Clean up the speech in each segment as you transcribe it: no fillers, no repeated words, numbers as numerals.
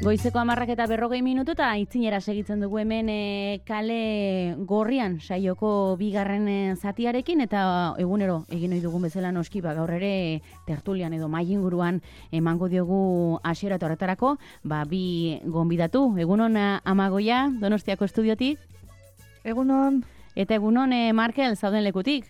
Goizeko 10:40 eta itzinera segitzen dugu hemen kale gorrian saioko bigarren zatiarekin eta egunero egin ohi dugun bezala noski gaur ere tertulian edo mahai inguruan emango diogu hasiera eta horretarako bi gonbidatu. Egunon Amagoia, Donostiako estudiotik. Egunon. Eta egunon Markel, zauden lekutik.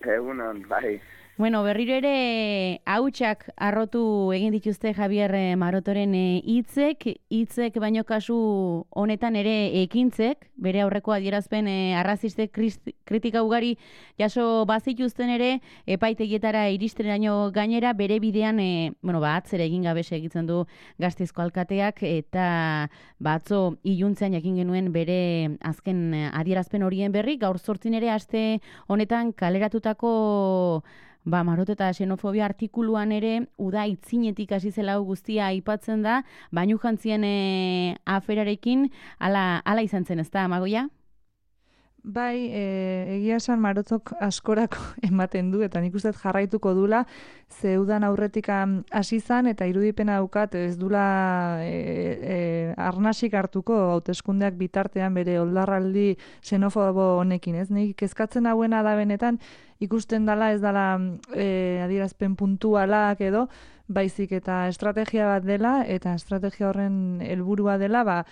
Egunon, bai. Bueno, berriro ere hautsak arrotu egin dituzte Javier Marotoren hitzek baino kasu honetan ere ekintzek, bere aurreko adierazpen arrazistek kritika ugari jaso bazituzten ere epaitegietara iristeraino gainera bere bidean atzera egin gabe segitzen du Gasteizko alkateak eta atzo iluntzean jakin genuen bere azken adierazpen horien berri, gaur 8 ere aste honetan kaleratutako Maroto eta xenofobia artikuluan ere uda itzinetik hasi zela guztia aipatzen da, bainu jantzien aferarekin ala izan zen, ez da, Amagoia? Bai, egia esan Marotok askorako ematen du, eta nik uste jarraituko dula, zeudan aurretik hasi zan, eta irudipena daukat ez dula arnasik hartuko hauteskundeak bitartean bere oldarraldi xenofobo honekin, ez? Nik kezkatzen hauena da benetan, ikusten dela ez dela adierazpen puntualak edo, baizik eta estrategia bat dela, eta estrategia horren helburua dela,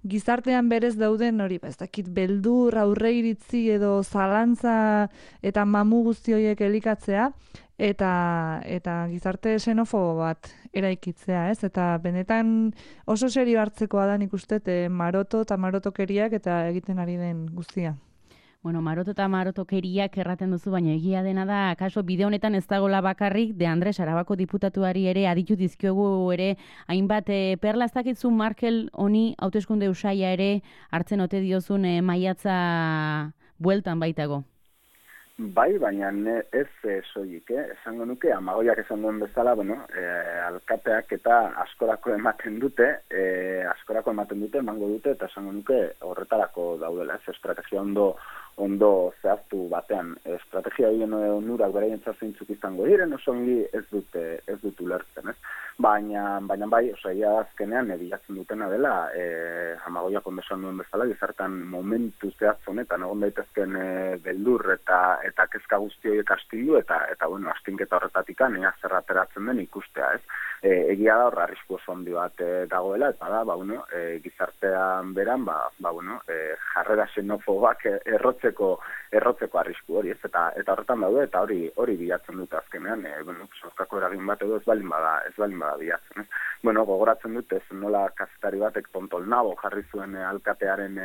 gizartean berez dauden hori, ez dakit beldur, aurreiritzi edo zalantza eta mamu guzti horiek elikatzea, eta gizarte xenofobo bat eraikitzea, ez? Eta benetan oso serio hartzekoa da nik uste Maroto eta marotokeriak eta egiten ari den guztia. Bueno, Maroto eta marotokeriak erraten duzu, baina egia dena da, kaso bide honetan ez dagoela bakarrik, De Andres Arabako diputatuari ere aditu dizkiogu ere hainbat perla, ez dakitzu Markel honi hauteskunde usaia ere hartzen ote diozun maiatza bueltan baitago. Bai, baina ez soilik, esango nuke, Amagoiak esan duen bezala, alkateak eta askorako ematen dute, emango dute, eta esango nuke horretarako daudela, ez estrategia ondo zehaztu batean. Estrategia horien onurak beraientzat zeintzuk izango diren, oso ongi ez dut ulertzen, ez? Baina bai, ia azkenean bilatzen dutena dela, Amagoiak ondo esan duen bezala, gizartan momentu zehaz honetan, egon daitezken beldur eta kezka guzti horiek astilu, eta astinketa horretatikan zer ateratzen den ikustea, ez? Egia da hor arrisku oso handi bat dagoela, eta da, gizartean beran, jarrera xenofobak errotzeko arrisku hori, ez? Eta horretan daude, eta hori bilatzen dute azkenean, sorkako eragin bat edo ez balin bada bilatzen, ez? Gogoratzen dute, nola kazetari batek Tontolnabo jarri zuen alkatearen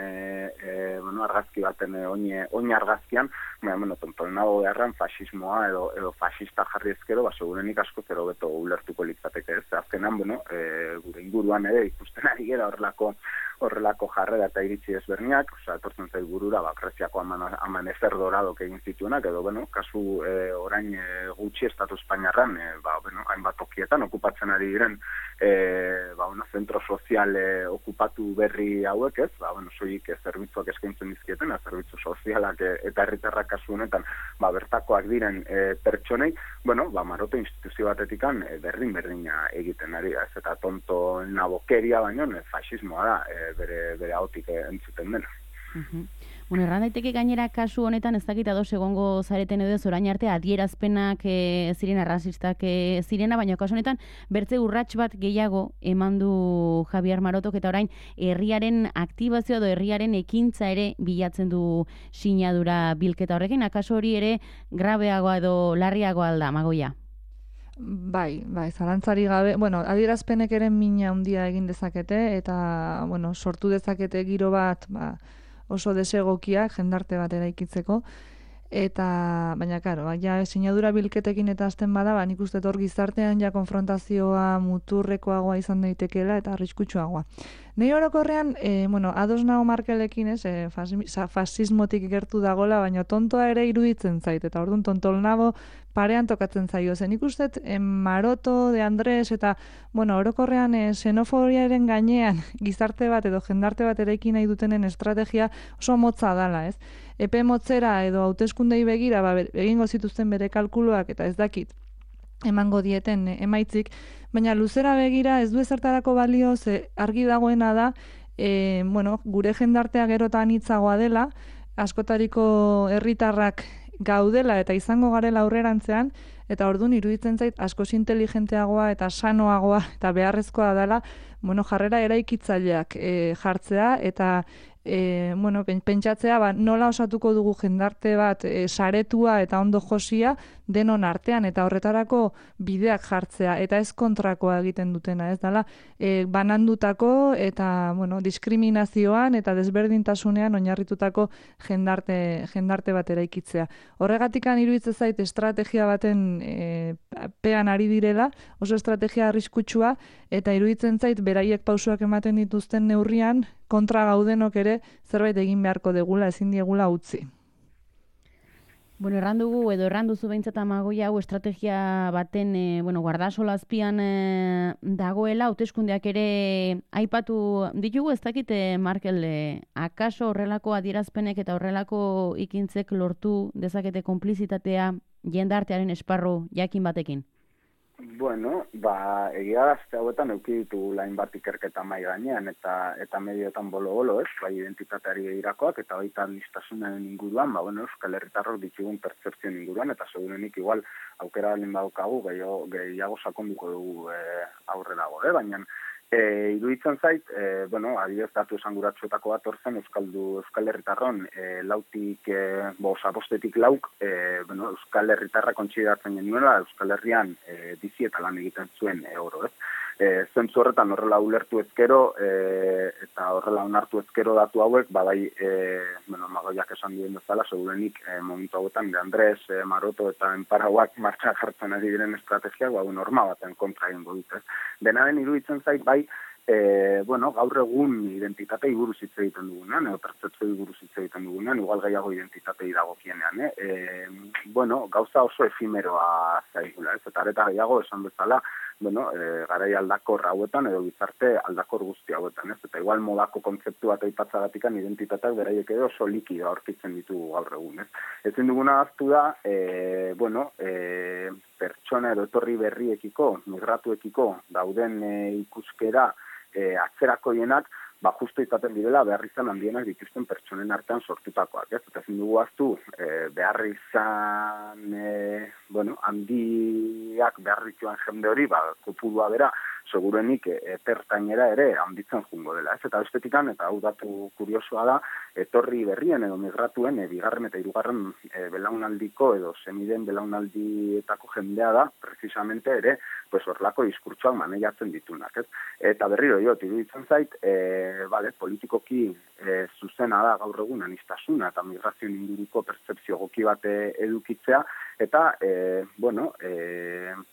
argazki baten oin argazkian, Tontolnabo beharran fasismoa edo fasista jarri ezkero, segurenik asko zero beto ulertuko litzateke, ez? Azkenan, gure inguruan ere ikusten ari gera horrelako jarrera eta iritzi ezberniak, etortzen zait burura, Greziako amanezer doradok egin zituenak, edo, kasu orain gutxi Estatu Espainiarran, hainbat tokietan okupatzen ari diren, zentro sozial okupatu berri hauek, ez? Soilik zerbitzuak eskaintzen dizkieten, zerbitzu sozialak eta herritarrak kasu honetan, bertakoak diren pertsonei, Maroto instituzio batetikan berdina egiten ari, ez? Eta tonto nabokeria baino, fasismoa da, bere ahotik entzuten dena. Erran daiteke gainera kasu honetan ez dakit ados egongo zareten edo orain arte adierazpenak ziren arrazistak zirena, baina kasu honetan bertze urrats bat gehiago eman du Javier Marotok eta orain herriaren aktibazioa edo herriaren ekintza ere bilatzen du sinadura bilketa horrekin, akaso hori ere grabeagoa edo larriagoa alda, Amagoia? Bai, zalantzari gabe, adierazpenek ere mina handia egin dezakete, eta, sortu dezakete giro bat, oso desegokiak jendarte bat eraikitzeko, baina, karo, sinadura bilketekin eta hasten bada, nik uste hor gizartean konfrontazioa muturrekoagoa izan daitekeela eta arriskutsuagoa. Nei orokorrean, ados nago Markelekin, fasismotik gertu dagola, baina tontoa ere iruditzen zait, eta orduan Tontolnabo parean tokatzen zaio. Nik uste Maroto, De Andres, eta orokorrean xenofobiaren gainean gizarte bat edo jendarte bat eraiki nahi dutenen estrategia oso motza dala, ez? Epe motzera edo hauteskundei begira, egingo zituzten bere kalkuluak, eta ez dakit, emango dieten emaitzik, baina luzera begira ez du ezertarako balio, ze argi dagoena da, gure jendartea gerotan hitzagoa dela, askotariko herritarrak gaudela eta izango garela aurrerantzean, eta orduan iruditzen zait askoz inteligenteagoa eta sanoagoa eta beharrezkoa dela, jarrera eraikitzaileak jartzea eta pentsatzea nola osatuko dugu jendarte bat saretua eta ondo josia denon artean eta horretarako bideak jartzea eta ez kontrakoa egiten dutena, ez dela banandutako eta diskriminazioan eta desberdintasunean oinarritutako jendarte bat eraikitzea. Horregatikan iruditzen zait estrategia baten pean ari direla, oso estrategia arriskutsua eta iruditzen zait beraiek pausuak ematen dituzten neurrian kontra gaudenok ere zerbait egin beharko degula, ezin diegula utzi. Erranduzu behintzat Amagoia hau estrategia baten, guardasola azpian dagoela, hauteskundeak ere aipatu ditugu, ez dakite, Markel, akaso horrelako adierazpenek eta horrelako ikintzek lortu dezakete konplizitatea jendartearen esparru jakin batekin? Egia da, azte hauetan euki ditu hainbat ikerketa mai gainean eta medioetan bolo-bolo, ez, bai identitateari behirakoak eta baita administrasunaren inguruan, Euskal Herritarrok ditugun pertzepzioen inguruan, eta segurenik igual aukera balin badaukagu, gehiago sakonduko dugu aurrerago, baina iruditzen zait, adibidez datu esanguratsuetako bat orzen Euskal Herritarron lautik, bostetik lauk, Euskal Herritarra kontsideratzen genuela Euskal Herrian bizi eta lan egiten zuen oro, ez? Zentzu horretan horrela ulertu ezkero eta horrela onartu ezkero datu hauek, Amagoiak esan duen bezala, segurenik momentu hauetan de Andres, Maroto eta Enparauak martxan jartzen ari diren estrategiak, norma baten kontra egingo dute. Denaren iruditzen zait, gaur egun identitatei buruz hitz egiten dugunean, edo pertzepzioi buruz hitz egiten dugunean, igual gehiago identitatei dagokienean, gauza oso efimeroa zaigula, ez? Eta areta gehiago esan bezala, garai aldakor hauetan edo gizarte aldakor guzti hauetan, ez? Eta igual modako kontzeptu bat aipatzagatikan identitateak beraiek edo oso likido aurkitzen ditugu gaur egun, ez? Ezin duguna ahaztu da, pertsona edo etorri berriekiko, migratuekiko dauden ikuskera atzerakoienak, justu izaten direla behar izan handienak dituzten pertsonen artean sortutakoak, ez? Eta ezin dugu ahaztu behar izan handiak behar dituen jende hori, kopurua bera, segurenik epertainera ere handitzen jungo dela, ez? Eta bestetikan, eta hau datu kuriosoa da, etorri berrien edo migratuen bigarren eta hirugarren belaunaldiko edo semiden belaunaldietako jendea da, precisamente ere, horrelako diskurtsoak maneiatzen ditunak, ez? Eta berriro iruditzen zait, politikoki zuzena da gaur egun aniztasuna eta migrazioen inguruko pertzepzio egoki bat edukitzea, eta,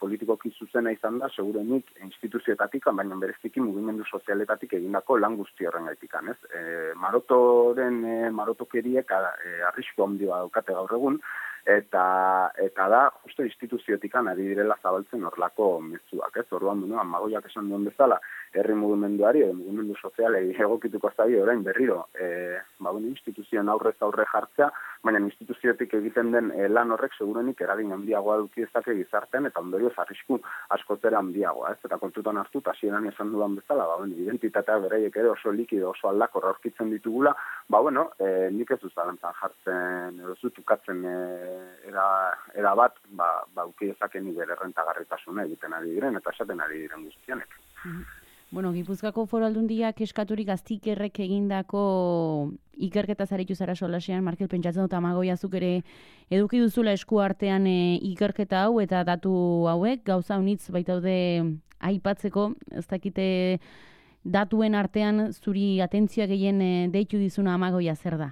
politikoki zuzena izan da, segurenik instituzioetatik, baina bereziki mugimendu sozialetatik egindako lan guzti horren gaitikan, ez? Marotokeriek arrisku handia daukate gaur egun, eta da, justo instituzioetikan ari direla zabaltzen horlako mezuak, ez? Orduan, Amagoiak esan duen bezala, herri mugimenduari edo mugimendu sozialei egokituko zaio orain berriro, instituzioen aurrez aurre jartzea, baina instituzioetik egiten den lan horrek segurenik eragin handiagoa eduki dezake gizartean eta ondorioz arrisku askotzera handiagoa, ez? Eta kontutan hartu, hasieran esan dudan bezala, identitatea beraiek ere oso likido, oso aldakor aurkitzen ditugula, nik ez zalantzan jartzen, edo zutukatzen era bat, uki dezaken bere errentagarritasuna egiten ari diren eta esaten ari diren guztianek. Gipuzkoako Foru Aldundiak eskaturik Aztikerrek egindako ikerketa zaritu zara solasean, Markel, pentsatzen dut Amagoia zuk ere eduki duzula esku artean ikerketa hau eta datu hauek, gauza unitz baitaude aipatzeko, ez dakite datuen artean zuri atentzioa gehien deitu dizuna Amagoia zer da?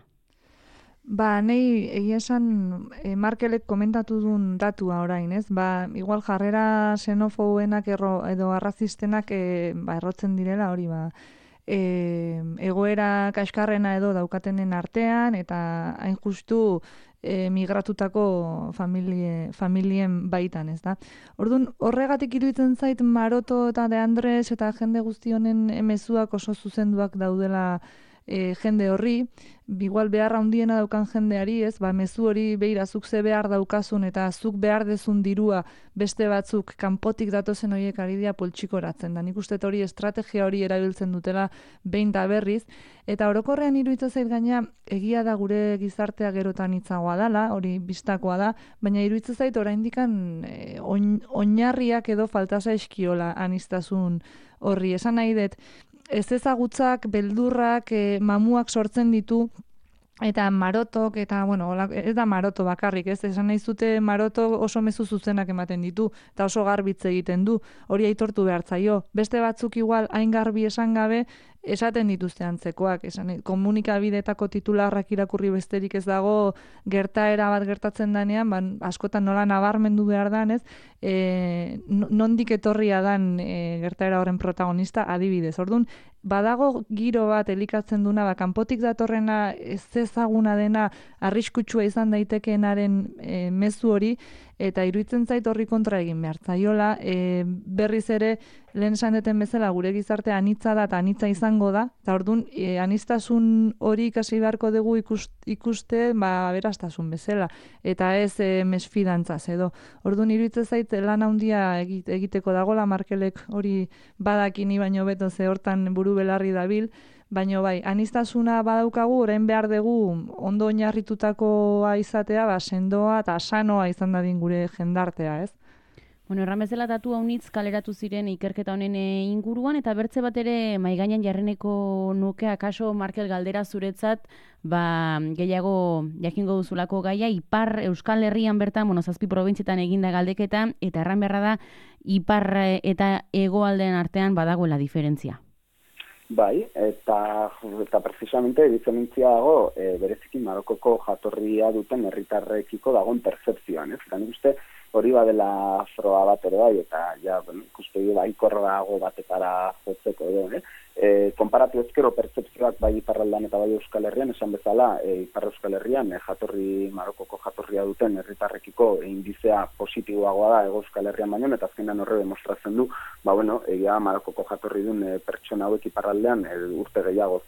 Nei egia esan Markelek komentatu duen datua orain, ez? Igual jarrera xenofobenak edo arrazistenak errotzen direla hori, egoera kaskarrena edo daukatenen artean eta hain justu migratutako familien baitan, ez da? Orduan, horregatik iruditzen zait Maroto eta De Andres eta jende guzti honen mezuak oso zuzenduak daudela jende horri, igual beharra handiena daukan jendeari, ez, mezu hori beira zuk ze behar daukasun eta zuk behar dezun dirua beste batzuk kanpotik datozen horiek ari dira poltsikoratzen da. Nik uste hori estrategia hori erabiltzen dutela behin da berriz, eta orokorrean iruditzen zait gaina egia da gure gizartea gerotan hitzagoa dela, hori bistakoa da, baina iruditzen zait oraindikan oinarriak edo falta zaizkiola aniztasun horri. Esan nahi dut, ez ezagutzak, beldurrak, mamuak sortzen ditu, eta marotok, eta, bueno, ez da maroto bakarrik, ez? Esan nahi zute maroto oso mezu zuzenak ematen ditu, eta oso garbitze egiten du, hori aitortu behar zaio. Beste batzuk igual hain garbi esan gabe, esaten dituzte antzekoak, komunikabidetako titularrak irakurri besterik ez dago, gertaera bat gertatzen danean, askotan nola nabarmendu behar dan, ez? Nondik etorria dan gertaera horren protagonista adibidez. Orduan, badago giro bat elikatzen duna, kanpotik datorrena ez ezaguna dena arriskutsua izan daitekeenaren mezu hori, eta iruditzen zait horri kontra egin behar zaiola, berriz ere lehen esan deten bezala gure gizarte anitza da eta anitza izango da, eta orduan aniztasun hori ikasi beharko dugu ikuste aberastasun bezala, eta ez mesfidantzaz edo. Orduan iruditzen zait lan handia egiteko dagola, Markelek hori badakini baino beto ze hortan buru belarri dabil, baina bai, aniztasuna badaukagu, orain behar dugu ondo oinarritutakoa izatea, sendoa eta sanoa izan dadin gure jendartea, ez? Bueno, erran bezala datu haunitz kaleratu ziren ikerketa honen inguruan, eta bertze bat ere maigainan jarreneko nuke, akaso Markel galdera zuretzat, gehiago jakingo duzulako gaia, Ipar Euskal Herrian bertan, zazpi probintzietan eginda galdeketa, eta erran beharra da, Ipar eta hegoaldeen artean badagoela diferentzia. Bai, eta precisamente diferentzia dago bereziki Marokoko jatorria duten herritarrekiko dagoen pertzepzioan, ez? Eta nik uste hori badela froga bat ere bai, eta ikuspegi baikorra dago batetara jotzeko edo, konparatu ezkero pertzepzioak bai Iparraldean eta bai Euskal Herrian, esan bezala, Ipar Euskal Herrian Marokoko jatorria duten herritarrekiko indizea positiboagoa da Euskal Herrian baino, eta azkenean horre demostratzen du, egia Marokoko jatorri duen pertsona hauek Iparraldean urte gehiago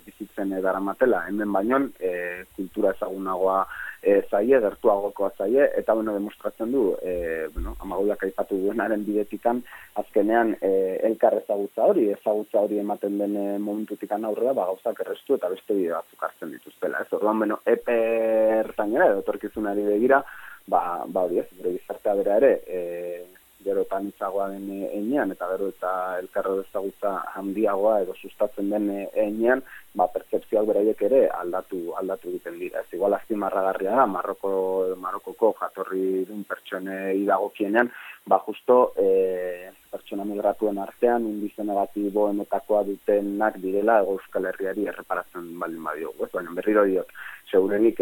bizitzen daramatela, hemen baino kultura ezagunagoa zaie, gertuagokoa zaie, eta demostratzen du, Amagoiak aipatu duenaren bidetikan, azkenean elkar ezagutza hori ematen den momentutikan aurrera, gauzak errestu eta beste bide batzuk hartzen dituztela. Ez orduan, epe ertainera edo etorkizunari begira, hori ez, gure gizartea bera ere, gero eta nitzagoa den einean, eta gero eta elkarro ezagutza handiagoa edo sustatzen den einean, pertzepzioak beraiek ere aldatu egiten dira. Ez igual azpimarragarria da, Marokoko jatorri duen pertsonei dagokienean, justo pertsona migratuen artean indize negatiboenetakoa dutenak direla Euskal Herriari erreparatzen baldin badiogu. Baina berriro diot, segurenik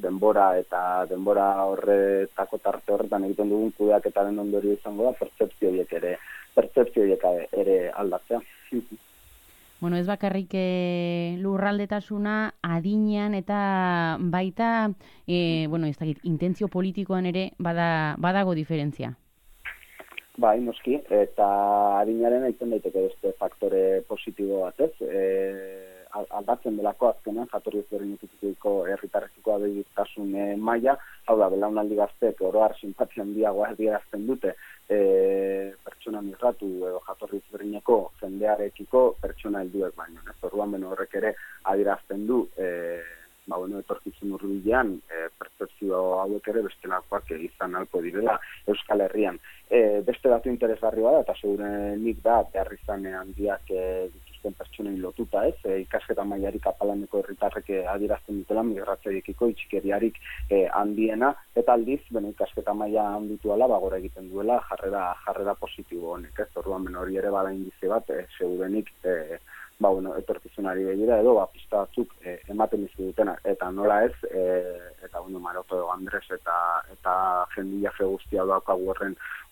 denbora horretako tarte horretan egiten dugun kudeaketaren ondorio izango da pertzepzioiek ere aldatzea. Bueno, ez bakarrik lurraldetasuna adinean eta baita, ez dakit, intentzio politikoan ere badago diferentzia. Bai, noski, eta adinaren aitzen daiteke beste faktore positibo batez, aldatzen delako azkenan jatorri ezberdinekiko herritarrekiko abegitasun maila, hau da, belaunaldi gazteek oro har simpatia handiagoa adierazten dute pertsona migratu edo jatorri ezberdineko jendearekiko pertsona helduek baino. Ez orduan horrek ere adierazten du etorkizun hurbilean pertzepzio hauek ere bestelakoak izan ahalko direla Euskal Herrian. Beste datu interesgarria da, eta segurenik da, behar izan handiak dituzten pertsonen lotuta, ez? Ikasketa mailarik apalaneko herritarrek adierazten dutela migratzaiekiko itxikeriarik handiena, eta aldiz, ikasketa maila handitu ala, gora egiten duela jarrera positibo honek, ez? Orduan, hori ere bada indize bat, segurenik etorkizunari begira edo pista batzuk ematen dizkigutena, eta nola ez, eta Maroto Andres eta jendia guztia daukagu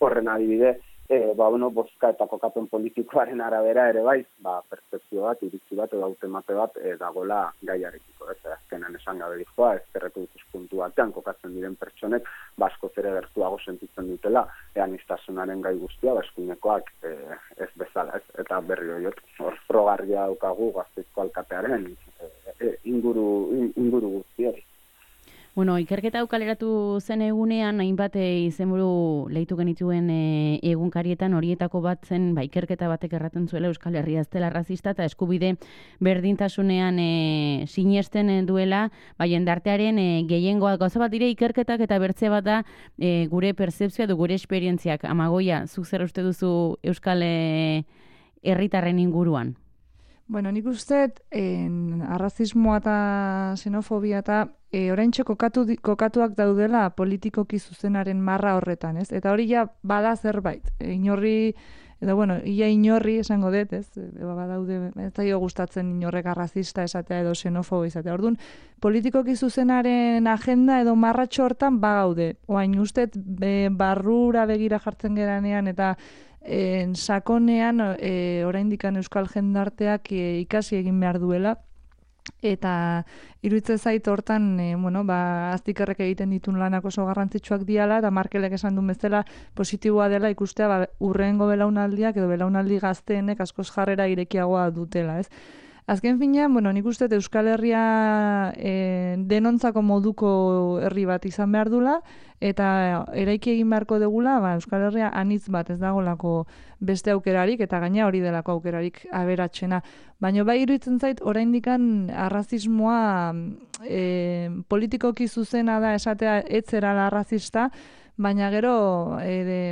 horren adibide, bozka eta kokapen politikoaren arabera ere bai, pertzepzio bat, iritzi bat edo hautemate bat dagoela gaiarekiko, ez azkenan esan gabe dizkoa, ezkerreko ikuspuntu batean kokatzen diren pertsonek askoz ere gertuago sentitzen dutela, aniztasunaren gai guztia, eskuinekoak ez bezala, ez, eta berri horiot, hor frogarria daukagu Gasteizko alkatearen inguru guzti hori. Bueno, ikerketa hau kaleratu zen egunean, hainbat izenburu leitu genituen egunkarietan, horietako bat zen, ikerketa batek erraten zuela Euskal Herria ez dela arrazista eta eskubide berdintasunean sinesten duela, jendartearen gehiengoa. Gauza bat dire ikerketak eta bertze bat da gure pertzepzioa du, gure esperientziak. Amagoia, zuk zer uste duzu Euskal herritarren inguruan? Bueno, nik uste arrazismoa eta xenofobia eta oraintxe kokatuak daudela politikoki zuzenaren marra horretan, ez? Eta hori ja bada zerbait. Inorri, edo bueno, ia inorri esango dut, ez? Badaude, ez zaio gustatzen inorrek arrazista esatea edo xenofobo izatea. Orduan, politikoki zuzenaren agenda edo marratxo hortan bagaude. Oain uste barrura begira jartzen geranean eta sakonean oraindikan euskal jendarteak ikasi egin behar duela eta iruditzen zait hortan aztikerrek egiten ditun lanak oso garrantzitsuak diala eta Markelek esan duen bezala positiboa dela ikustea urrengo belaunaldiak edo belaunaldi gazteenek askoz jarrera irekiagoa dutela, ez? Azken finean, nik uste Euskal Herria denontzako moduko herri bat izan behar dula, eta eraiki egin beharko degula, Euskal Herria anitz bat ez dagolako beste aukerarik, eta gaina hori delako aukerarik aberatsena. Baina iruditzen zait, oraindikan arrazismoa politikoki zuzena da esatea etzerala arrazista, baina gero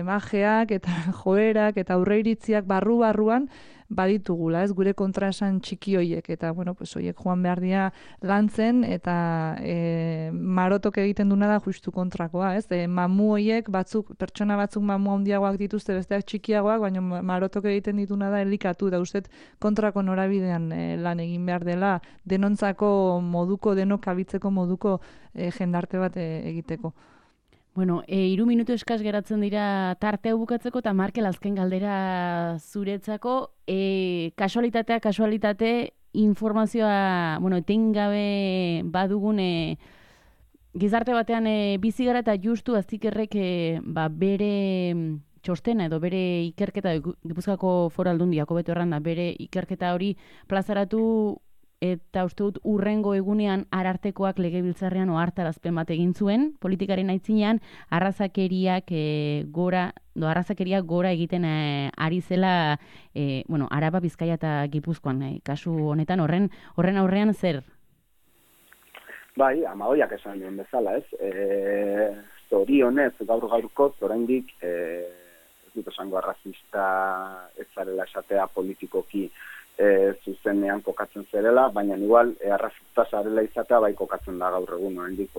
majeak eta joerak eta aurreiritziak barruan baditugula, ez gure kontraesan txiki hoiek eta hoiek joan behar dira lantzen eta marotok egiten duna da justu kontrakoa, ez? Mamu hoiek pertsona batzuk mamu handiagoak dituzte besteak txikiagoak, baina marotok egiten dituna da elikatu da ustet kontrako norabidean lan egin behar dela denontzako moduko, denok kabitzeko moduko jendarte bat egiteko. Bueno, 3 minutu eskas geratzen dira tarte hau bukatzeko eta Markel azken galdera zuretzako. Kasualitate, informazioa, etengabe badugun gizarte batean bizi gara eta justu aztikerrek bere txostena edo bere ikerketa, Gipuzkoako Foru Aldundiako beto erranda, bere ikerketa hori plazaratu eta uste dut urrengo egunean Arartekoak legebiltzarrean ohartarazpen bat egin zuen, politikaren aitzinean arrazakeria gora egiten ari zela Araba, Bizkaia eta Gipuzkoan, kasu honetan horren aurrean zer? Bai, Amagoiak esan duen bezala, ez? Zorionez, gaurkoz, oraindik ez dut esango arrazista ez zarela esatea politikoki zuzenean kokatzen zerela, baina igual arrazista zarela izatea bai kokatzen da gaur egun oraindik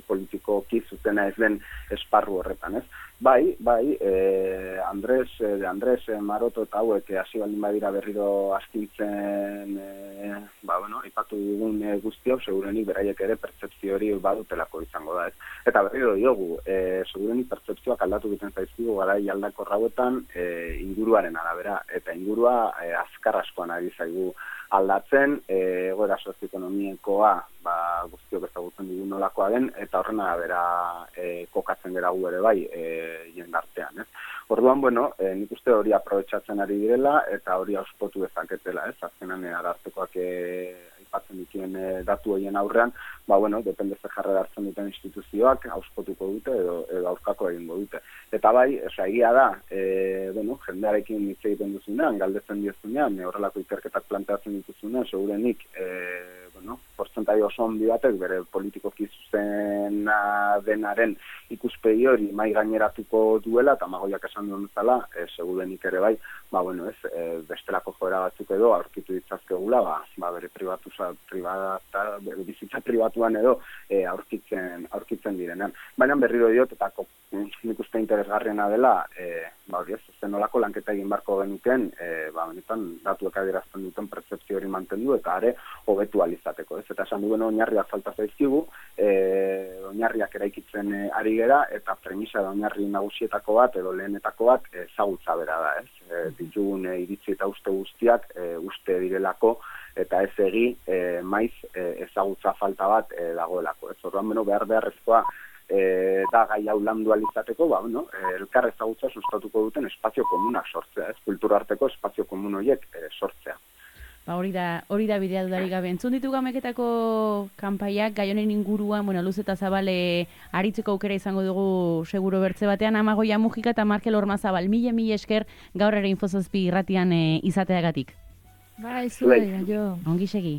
politikoki zuzena ez den esparru horretan, ez? Bai, Andres Maroto eta hauek hasi baldin badira berriro astintzen aipatu dugun guzti hau, segurenik beraiek ere pertzepzio hori badutelako izango da, ez? Eta berriro diogu, segurenik pertzepzioak aldatu egiten zaizkigu garai aldakor hauetan inguruaren arabera, eta ingurua azkar askoan ari zaigu aldatzen, egoera sozioekonomikoa guztiok ezagutzen dugu nolakoa den, eta horren arabera kokatzen gera gu ere bai jendartean, ez? Orduan, nik uste hori aprobetxatzen ari direla, eta hori auspotu dezaketela, ez? Azkenan Arartekoak aipatzen dituen datu horien aurrean, depende ze jarrera hartzen duten instituzioak, auspotuko dute edo aurkako egingo dute. Eta bai, egia da, jendearekin hitz egiten duzunean, galdetzen diozunean, horrelako ikerketak planteatzen dituzunean, segurenik, portzentai oso handi batek bere politikoki zuzena denaren ikuspegi hori mai gaineratuko duela, eta Amagoiak esan duen bezala, segurenik ere bai, bestelako joera batzuk edo aurkitu ditzazkegula, bere bizitza pribatuan edo aurkitzen direnean. Baina berriro diot, eta nik uste interesgarriena dela, zenolako lanketa egin barko genuken, benetan datuek adierazten duten pertzepzio hori mantendu eta are hobetu alizateko, ez? Eta esan duen oinarriak falta zaizkigu, oinarriak eraikitzen ari gera, eta premisa da oinarri nagusietako bat edo lehenetako bat ezagutza bera da, ez? Ditugun iritzi eta uste guztiak uste direlako, eta ez maiz ezagutza falta bat dagoelako, ez? Orduan beharrezkoa da gai hau landu alizateko, elkar ezagutza sustatuko duten espazio komunak sortzea, ez? Kultura arteko espazio komun horiek sortzea. Ba, hori da bidea dudarik gabe. Entzun ditu Gameketako kanpaiak, gai honen inguruan, luz eta zabale aritzeko aukera izango dugu seguro bertze batean, Amagoia Mujika eta Markel Ormazabal. Mila esker gaur ere Infozazpi irratian izateagatik. Bai, zuei, jo. Ongi segi.